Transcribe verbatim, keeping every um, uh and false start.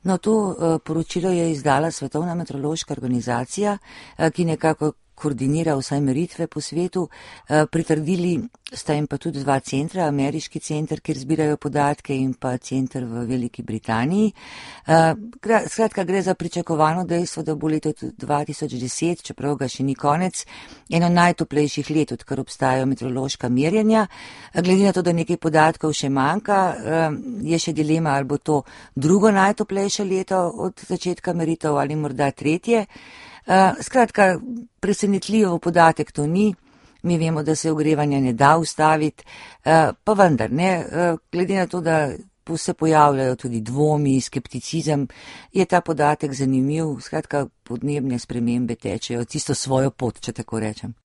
No, to uh, poročilo je izdala Svetovna meteorološka organizacija, uh, ki nekako koordinira vsaj meritve po svetu. Uh, pritrdili sta jim pa tudi dva centra, ameriški center, kjer zbirajo podatke, in pa center v Veliki Britaniji. Uh, gra, skratka, gre za pričakovano dejstvo, da bo leto dva tisoč deset, čeprav ga še ni konec, eno najtoplejših let, odkar obstajajo meteorološka merjenja. Uh, glede na to, da nekaj podatkov še manjka, uh, je še dilema, ali bo to drugo najtoplejše leto od začetka meritev ali morda tretje. Uh, skratka, presenetljivo podatek to ni. Mi vemo, da se ogrevanje ne da ustaviti, uh, pa vendar ne, uh, glede na to, da se pojavljajo tudi dvomi, skepticizem, je ta podatek zanimiv. Skratka, podnebne spremembe tečejo čisto svojo pot, če tako rečem.